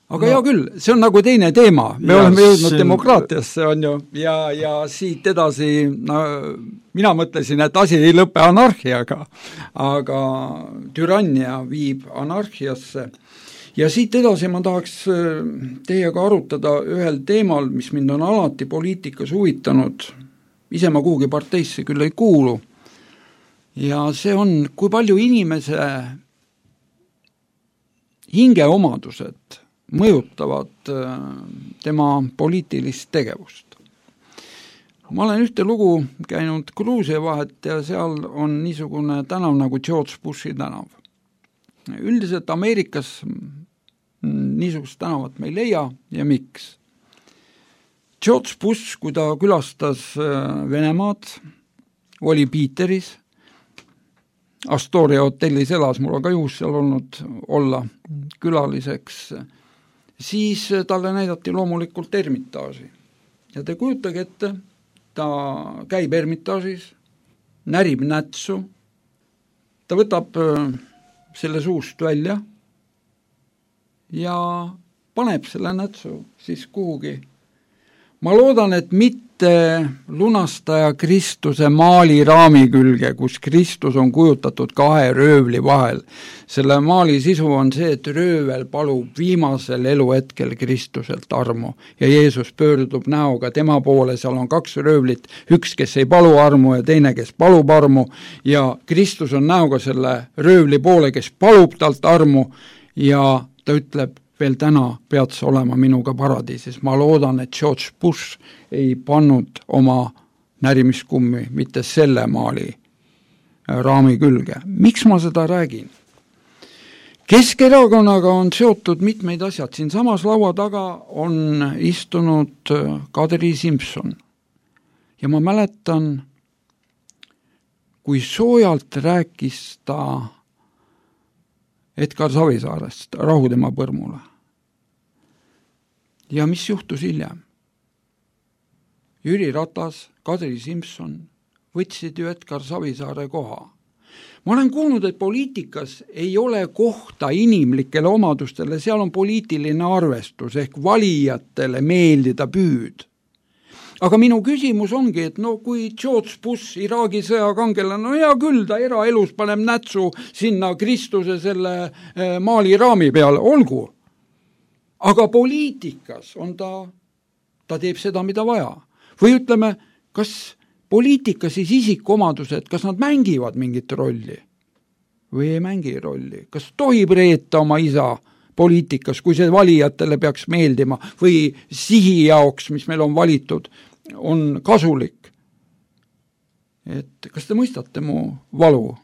Aga hea küll, see on nagu teine teema, me oleme jõudnud demokraatiasse, on ju, ja siit edasi, mina mõtlesin, et asi ei lõpe anarhiaga, aga türannia viib anarhiasse. Ja siit edasi ma tahaks teiega arutada ühel teemal, mis mind on alati poliitikas huvitanud, ise ma kuhugi parteisse küll ei kuulu, ja see on, kui palju inimese hingeomadused mõjutavad tema poliitilist tegevust. Ma olen ühte lugu käinud Gruusia vahet ja seal on niisugune tänav nagu George Bushi tänav. Üldiselt Ameerikas niisugust tänavat me ei leia ja miks? George Bush, kui ta külastas Venemaad, oli Piiteris, Astoria hotellis elas, mul on ka juhus seal olnud olla külaliseks, siis talle näidati loomulikult Ermitaaži. Ja te kujutage ette, ta käib Ermitaažis, närib nätsu, ta võtab selle suust välja ja paneb selle nätsu siis kuhugi. Ma loodan, et mitte lunastaja Kristuse maali raami külge, kus Kristus on kujutatud kahe röövli vahel. Selle maali sisu on see, et röövel palub viimasel eluhetkel Kristuselt armu ja Jeesus pöördub näoga tema poole, seal on kaks röövlit, üks, kes ei palu armu ja teine, kes palub armu ja Kristus on näoga selle röövli poole, kes palub talt armu ja ta ütleb, veel täna pead sa olema minuga paradiisis. Ma loodan, et George Bush ei pannud oma närimiskummi mitte selle maali raami külge. Miks ma seda räägin? Keskerakonnaga on seotud mitmeid asjad. Siin samas laua taga on istunud Kadri Simson. Ja ma mäletan, kui soojalt rääkis ta Edgar Savisaarest Rahu tema põrmule. Ja mis juhtus hiljem? Jüri Ratas, Kadri Simson võtsid ju Edgar Savisaare koha. Ma olen kuulnud, et poliitikas ei ole kohta inimlikele omadustele, seal on poliitiline arvestus ehk valijatele meeldida püüd. Aga minu küsimus ongi, et no kui George Bush, Iraagi sõjakangela, no hea küll, ta eraelus paneb nätsu sinna Kristuse selle maali raami peale, olgu. Aga poliitikas on ta teeb seda, mida vaja. Või ütleme, kas poliitikas siis isikuomadused, kas nad mängivad mingit rolli? Või ei mängi rolli? Kas tohib reeta oma isa poliitikas, kui see valijatele peaks meeldima või sihi jaoks, mis meil on valitud, on kasulik. Et kas te mõistate mu valu?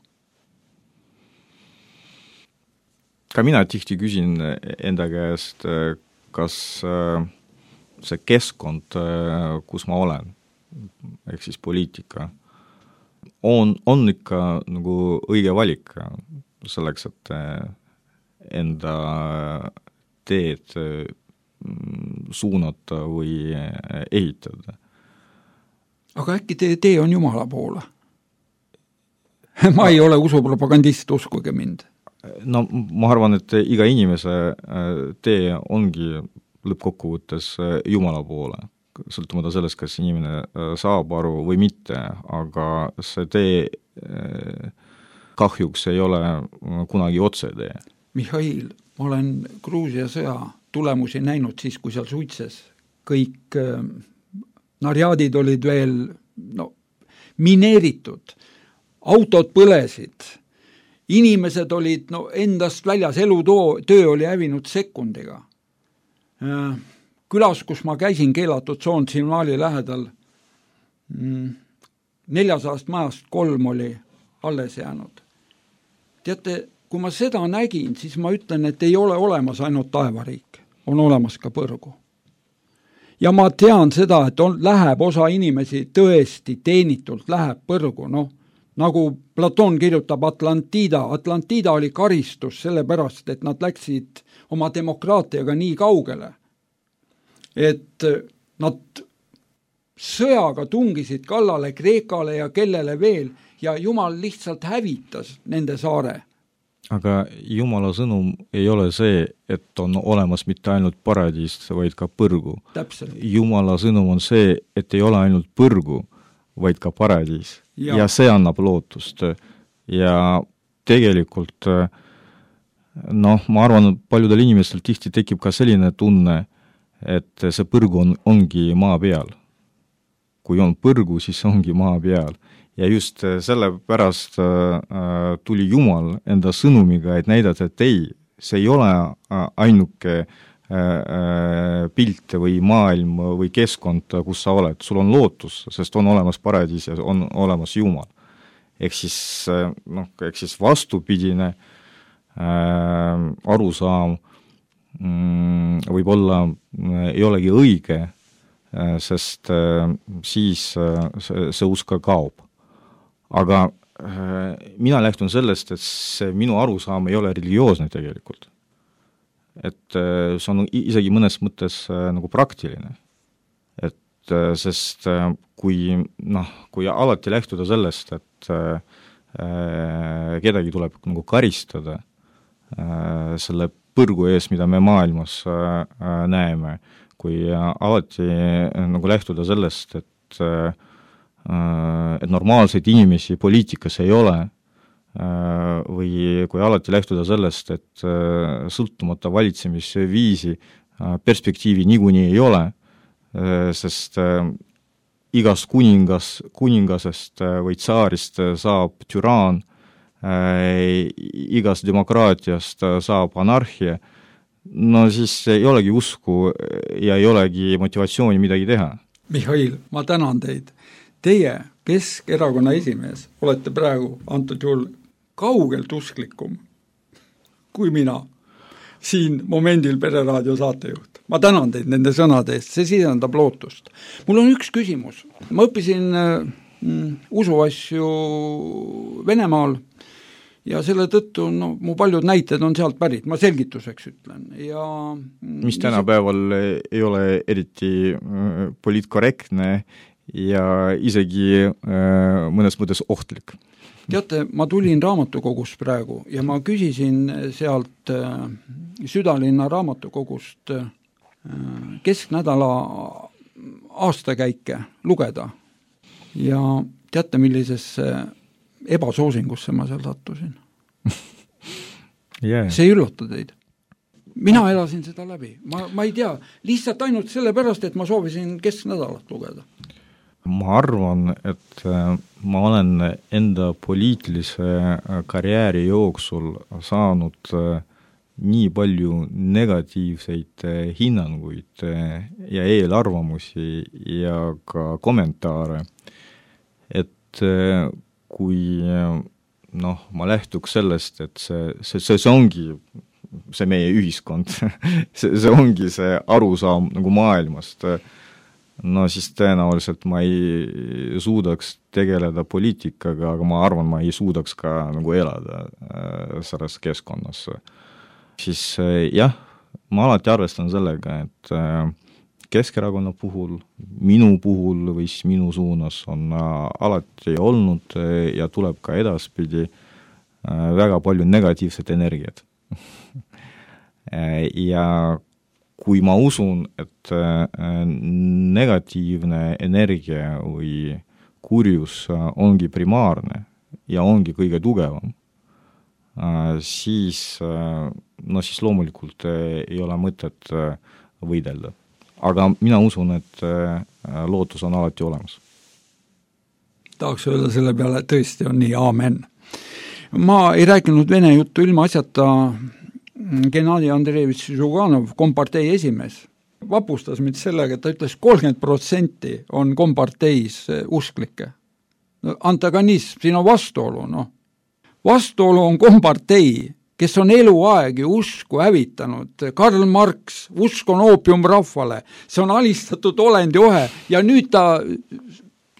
Ka mina tihti küsin enda käest, kas see keskkond, kus ma olen, ehk siis poliitika, on ikka nagu õige valik selleks, et enda teed suunata või ehitada. Aga äkki teie tee on Jumala poole? Ma ei ole usupropagandist, uskuge mind. No ma arvan, et iga inimese tee ongi lõppkokkuvõttes Jumala poole, sõltumata sellest, kas inimene saab aru või mitte, aga see tee kahjuks ei ole kunagi otsetee. Mihhail, ma olen Gruusia sõja tulemusi näinud siis, kui seal suitses. Kõik narjaadid olid veel mineeritud, autod põlesid, inimesed olid endast väljas, töö oli hävinud sekundiga. Külas, kus ma käisin keelatud tsoon Simnaali lähedal, 400 majast 3 oli alles jäänud. Teate, kui ma seda nägin, siis ma ütlen, et ei ole olemas ainult taevariik, on olemas ka põrgu. Ja ma tean seda, et läheb osa inimesi tõesti teenitult, läheb põrgu, nagu Platon kirjutab Atlantida oli karistus sellepärast, et nad läksid oma demokraatiaga nii kaugele, et nad sõjaga tungisid kallale Kreekale ja kellele veel, ja Jumal lihtsalt hävitas nende saare. Aga Jumala sõnum ei ole see, et on olemas mitte ainult paradiis, vaid ka põrgu. Täpselt. Jumala sõnum on see, et ei ole ainult põrgu, vaid ka paradiis. Ja see annab lootust. Ja tegelikult, ma arvan, paljudel inimestel tihti tekib ka selline tunne, et see põrgu ongi maa peal. Kui on põrgu, siis ongi maa peal. Ja just sellepärast tuli Jumal enda sõnumiga, et näidata, et ei, see ei ole ainuke pilt või maailm või keskkond, kus sa oled. Sul on lootus, sest on olemas paradiis ja on olemas Jumal. Ehk siis vastupidine arusaam võib-olla ei olegi õige, sest siis see usk kaob. Aga mina lähtun sellest, et see minu arusaam ei ole religioosne tegelikult. Et see on isegi mõnes mõttes nagu praktiline. Et sest kui alati lähtuda sellest, et kedagi tuleb nagu karistada selle põrgu ees, mida me maailmas näeme, kui alati nagu lähtuda sellest, et normaalseid inimesi poliitikas ei ole, või kui alati lähtuda sellest, et sõltumata valitsemisviisi perspektiivi niikuinii ei ole, sest igast kuningasest või tsaarist saab türaan, igast demokraatiast saab anarhia, siis ei olegi usku ja ei olegi motivatsiooni midagi teha. Mihhail, ma tänan teid. Teie, Keskerakonna esimees, olete praegu antud juhul kaugelt usklikum kui mina siin momendil Pereraadio saatejuht. Ma tänan teid nende sõnade eest, see sisendab lootust. Mul on üks küsimus. Ma õppisin usuasju Venemaal ja selle tõttu mu paljud näited on sealt pärit, ma selgituseks ütlen. Ja mis tänapäeval ei ole eriti poliitkorrektne ja isegi mõnes mõttes ohtlik. Teate, ma tulin raamatukogus praegu ja ma küsisin sealt Südalinna raamatukogust kesknädala aastakäike lugeda. Ja teate, millisesse ebasoosingusse ma seal sattusin? Yeah. See ei üllata teid. Mina elasin seda läbi. Ma ei tea, lihtsalt ainult sellepärast, et ma soovisin kesknädalat lugeda. Ma arvan, et ma olen enda poliitilise karjääri jooksul saanud nii palju negatiivseid hinnanguid ja eelarvamusi ja ka kommentaare, et kui ma lähtuks sellest, et see ongi see meie ühiskond, see ongi see arusaam nagu maailmast, siis tõenäoliselt ma ei suudaks tegeleda poliitikaga, aga ma arvan, ma ei suudaks ka nagu elada selles keskkonnas. Siis jah, ma alati arvestan sellega, et Keskerakonna puhul, minu puhul või siis minu suunas on alati olnud ja tuleb ka edaspidi väga palju negatiivset energiat. Ja kui ma usun, et negatiivne energia või kurjus ongi primaarne ja ongi kõige tugevam, siis loomulikult ei ole mõtet võidelda. Aga mina usun, et lootus on alati olemas. Tahaks öelda selle peale, tõesti on nii, aamen. Ma ei rääkinud vene juttu ilma asjata. Gennadi Andreevitš Žuganov, kompartei esimees, vapustas mind sellega, et ta ütles 30% on komparteis usklikke. Antagonism, siin on vastuolu, Vastuolu on kompartei, kes on eluaegi usku hävitanud. Karl Marx, usk on oopium rahvale, see on alistatud olendohe ja nüüd ta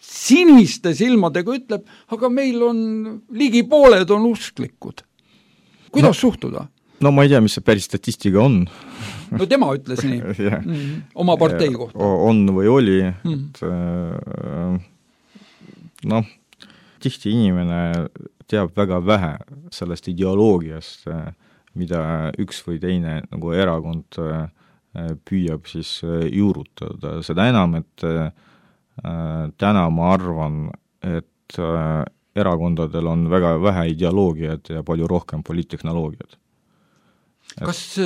siniste silmadega ütleb, aga meil on ligi pooled on usklikud. Kuidas suhtuda? No ma ei tea, mis see päris statistika on. No tema ütles nii, oma partei kohta. On või oli, tihti inimene teab väga vähe sellest ideoloogiast, mida üks või teine nagu erakond püüab siis juurutada. Seda enam, et täna ma arvan, et erakondadel on väga vähe ideoloogiat ja palju rohkem poliittehnoloogiat. Kas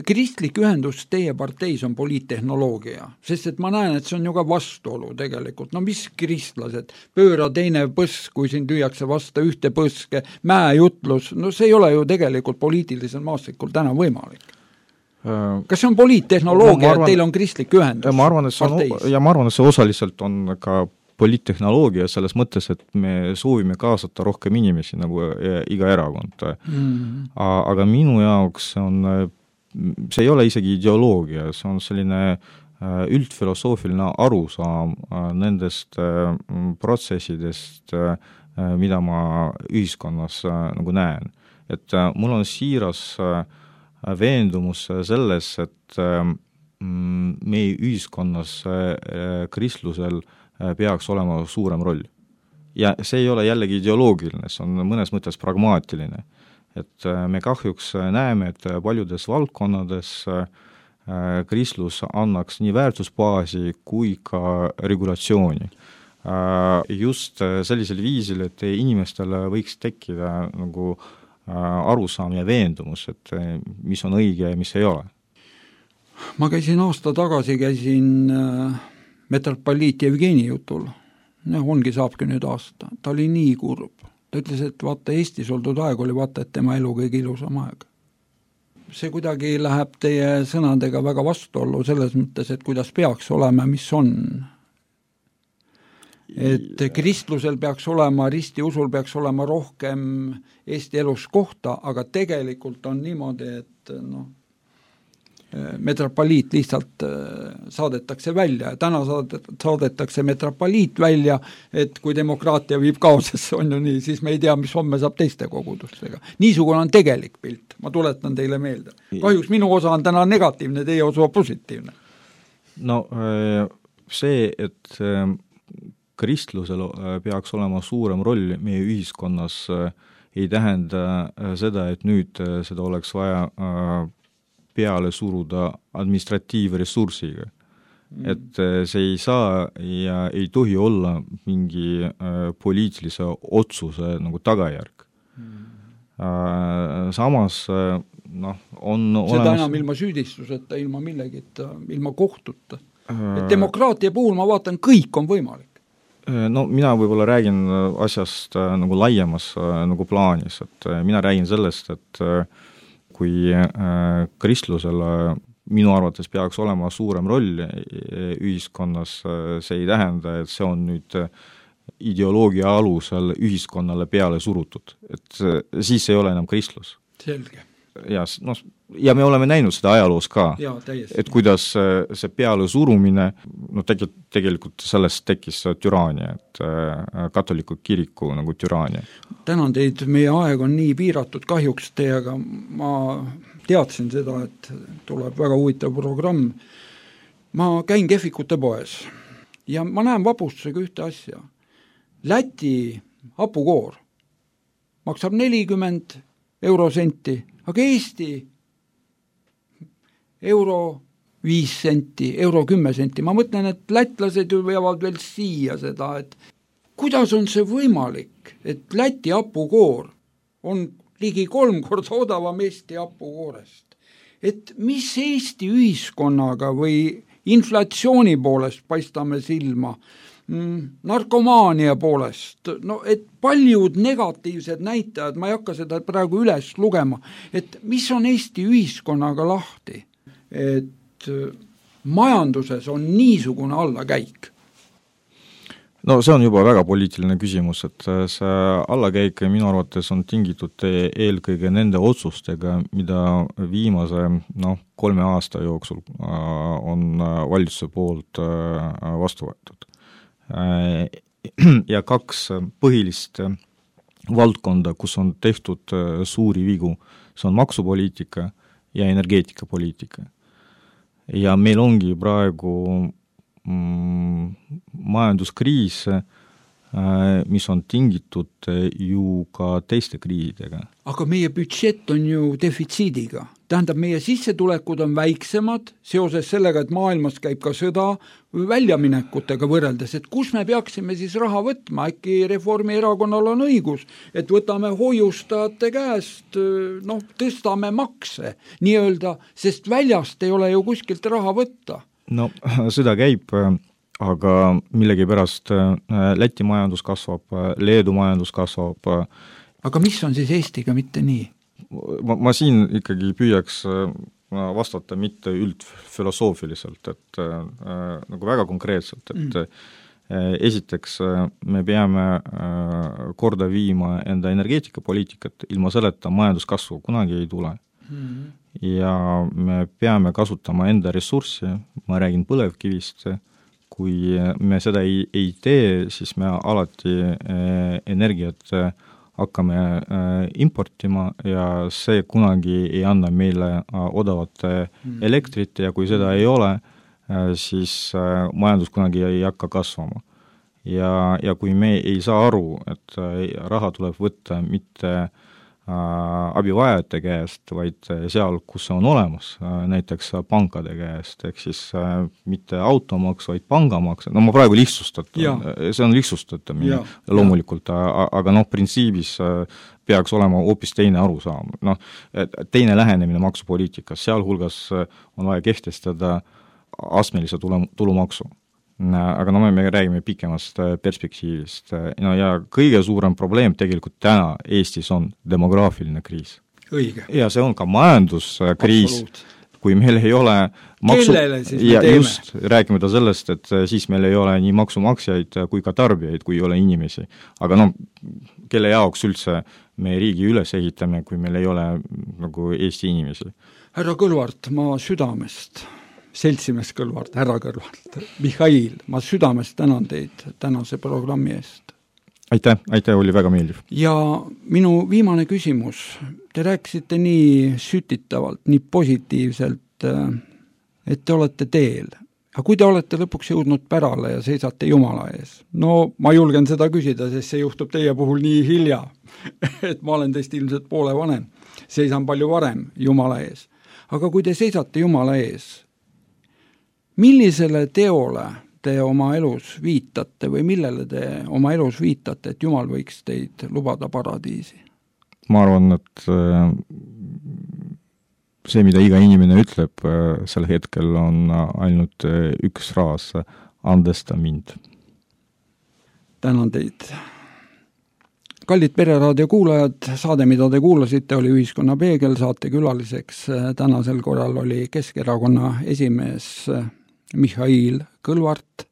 kristlik ühendus teie parteis on poliittehnoloogia? Sest et ma näen, et see on ju ka vastuolu tegelikult. No mis kristlased? Pööra teine põsk, kui siin tüüakse vasta ühte põske, mäejutlus, no see ei ole ju tegelikult poliitilisel maastikul täna võimalik. Kas see on poliittehnoloogia, et teil on kristlik ühendus? Ma arvan, et see osaliselt on ka poliittehnoloogia selles mõttes, et me soovime kaasata rohkem inimesi nagu iga erakond. Aga minu jaoks see ei ole isegi ideoloogia, see on selline üldfilosoofiline arusaam nendest protsessidest, mida ma ühiskonnas nagu näen. Et mul on siiras veendumus selles, et meie ühiskonnas kristlusel peaks olema suurem roll. Ja see ei ole jällegi ideoloogiline, see on mõnes mõttes pragmaatiline. Et me kahjuks näeme, et paljudes valdkonnades kristlus annaks nii väärtusbaasi kui ka regulatsiooni. Just sellisel viisil, et inimestele võiks tekkida nagu arusaam ja veendumus, et mis on õige ja mis ei ole. Ma aasta tagasi metropoliit Jevgeni jutul. Ongi saabki nüüd aasta. Ta oli nii kurb. Ta ütles, et vaata, Eestis oldud aeg oli vaata, et tema elu kõige ilusam aeg. See kuidagi läheb teie sõnadega väga vastuollu selles mõttes, et kuidas peaks olema, mis on. Et kristlusel peaks olema, ristiusul peaks olema rohkem Eesti elus kohta, aga tegelikult on niimoodi, et metropoliit lihtsalt saadetakse välja. Täna saadetakse metropoliit välja, et kui demokraatia viib kaosesse, on ju nii, siis me ei tea, mis homme saab teiste kogudustega. Niisugune on tegelik pilt, ma tuletan teile meelde. Kahjuks minu osa on täna negatiivne, teie osa positiivne. No see, et kristlusel peaks olema suurem roll meie ühiskonnas, ei tähenda seda, et nüüd seda oleks vaja peale suruda administratiivressursiga. Et see ei saa ja ei tohi olla mingi poliitilise otsuse nagu tagajärg. Samas on seda enam ilma süüdistuseta, ilma millegita, ilma kohtuta. Et demokraatia puhul ma vaatan, kõik on võimalik. No mina võib-olla räägin asjast nagu laiemas nagu plaanis, et mina räägin sellest, et kui kristlusel minu arvates peaks olema suurem roll ühiskonnas, see ei tähenda, et see on nüüd ideoloogia alusel ühiskonnale peale surutud. Et siis ei ole enam kristlus. Selge. ja me oleme näinud seda ajaloos ka, et kuidas see peale surumine, tegelikult sellest tekkis türaania, et katoliku kiriku nagu türaania. Tänan teid, meie aeg on nii piiratud kahjuks teiega, ma teadsin seda, et tuleb väga huvitav programm. Ma käin kehvikute poes ja ma näen vapustusega ühte asja. Läti hapukoor maksab 40 eurosenti, aga Eesti euro 5 senti, euro 10 senti. Ma mõtlen, et lätlased ju veavad veel siia seda, et kuidas on see võimalik, et Läti hapukoor on ligi 3 korda odavam Eesti hapukoorest. Et mis Eesti ühiskonnaga või inflatsiooni poolest paistame silma, narkomaania poolest, et paljud negatiivsed näitajad, ma ei hakka seda praegu üles lugema, et mis on Eesti ühiskonnaga lahti, et majanduses on niisugune allakäik? No see on juba väga poliitiline küsimus, et see allakäik minu arvates on tingitud eelkõige nende otsustega, mida viimase 3 aasta jooksul on valitsuse poolt vastu võetud. Ja 2 põhilist valdkonda, kus on tehtud suuri vigu, see on maksupoliitika ja energeetikapoliitika. Ja meil ongi praegu majanduskriis, mis on tingitud ju ka teiste kriisidega. Aga meie budžett on ju defitsiidiga. Tähendab, meie sissetulekud on väiksemad seoses sellega, et maailmas käib ka sõda väljaminekutega võrreldes, et kus me peaksime siis raha võtma, äkki Reformierakonnal on õigus, et võtame hoiustajate käest, tõstame makse nii-öelda, sest väljast ei ole ju kuskilt raha võtta. No sõda käib, aga millegipärast Läti majandus kasvab, Leedu majandus kasvab. Aga mis on siis Eestiga mitte nii? Ma siin ikkagi püüaks vastata mitte üldfilosoofiliselt, et nagu väga konkreetselt, et esiteks me peame korda viima enda energeetikapoliitikat, ilma selleta majanduskasvu kunagi ei tule. Ja me peame kasutama enda ressurssi, ma räägin põlevkivist, kui me seda ei tee, siis me alati energiat hakkame importima ja see kunagi ei anna meile odavat elektrit ja kui seda ei ole, siis majandus kunagi ei hakka kasvama. Ja kui me ei saa aru, et raha tuleb võtta mitte abivajajate käest, vaid seal, kus see on olemas, näiteks pankade käest, ehk siis mitte automaks, vaid pangamaks, ma praegu see on lihtsustatamine loomulikult, aga printsiibis peaks olema hoopis teine arusaam. Teine lähenemine maksupoliitikas, sealhulgas on vaja kehtestada astmelise tulumaksu. Aga me räägime pikemast perspektiivist. Ja kõige suurem probleem tegelikult täna Eestis on demograafiline kriis. Õige. Ja see on ka majanduskriis. Kui meil ei ole kellele siis me teeme? Just, räägime sellest, et siis meil ei ole nii maksumaksjaid kui ka tarbijaid, kui ei ole inimesi. Aga kelle jaoks üldse me riigi üles ehitame, kui meil ei ole nagu Eesti inimesi? Härra Kõlvart, ma südamest seltsimees Kõlvart, härra Kõlvart, Mihhail, ma südamest tänan teid tänase programmi eest. Aitäh, oli väga meeldiv. Ja minu viimane küsimus, te rääkisite nii sütitavalt, nii positiivselt, et te olete teel. Aga kui te olete lõpuks jõudnud pärale ja seisate Jumala ees? Ma julgen seda küsida, sest see juhtub teie puhul nii hilja, et ma olen teist ilmselt poole vanem, seisan palju varem Jumala ees. Aga kui te seisate Jumala ees, millisele teole te oma elus viitate või millele te oma elus viitate, et Jumal võiks teid lubada paradiisi? Ma arvan, et see, mida iga inimene ütleb sel hetkel, on ainult üks fraas, andesta mind. Tänan teid. Kallid Pereraadio kuulajad, saade, mida te kuulasite, oli Ühiskonna Peegel, saate külaliseks tänasel korral oli Keskerakonna esimees Mihhail Kõlvart.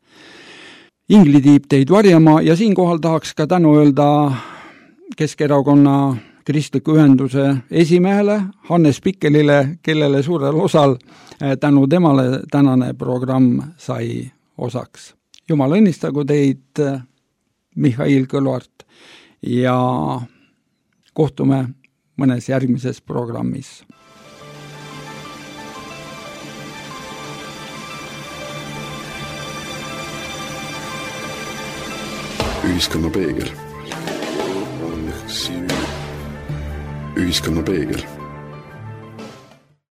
Ingli tiib teid varjama ja siinkohal tahaks ka tänu öelda kristliku ühenduse esimehele Hannes Pikkelile, kellele suurel osal tänu temale tänane programm sai osaks. Jumal õnnistagu teid, Mihhail Kõlvart, ja kohtume mõnes järgmises programmis. Ühiskonna peegel. Ühiskonna peegel.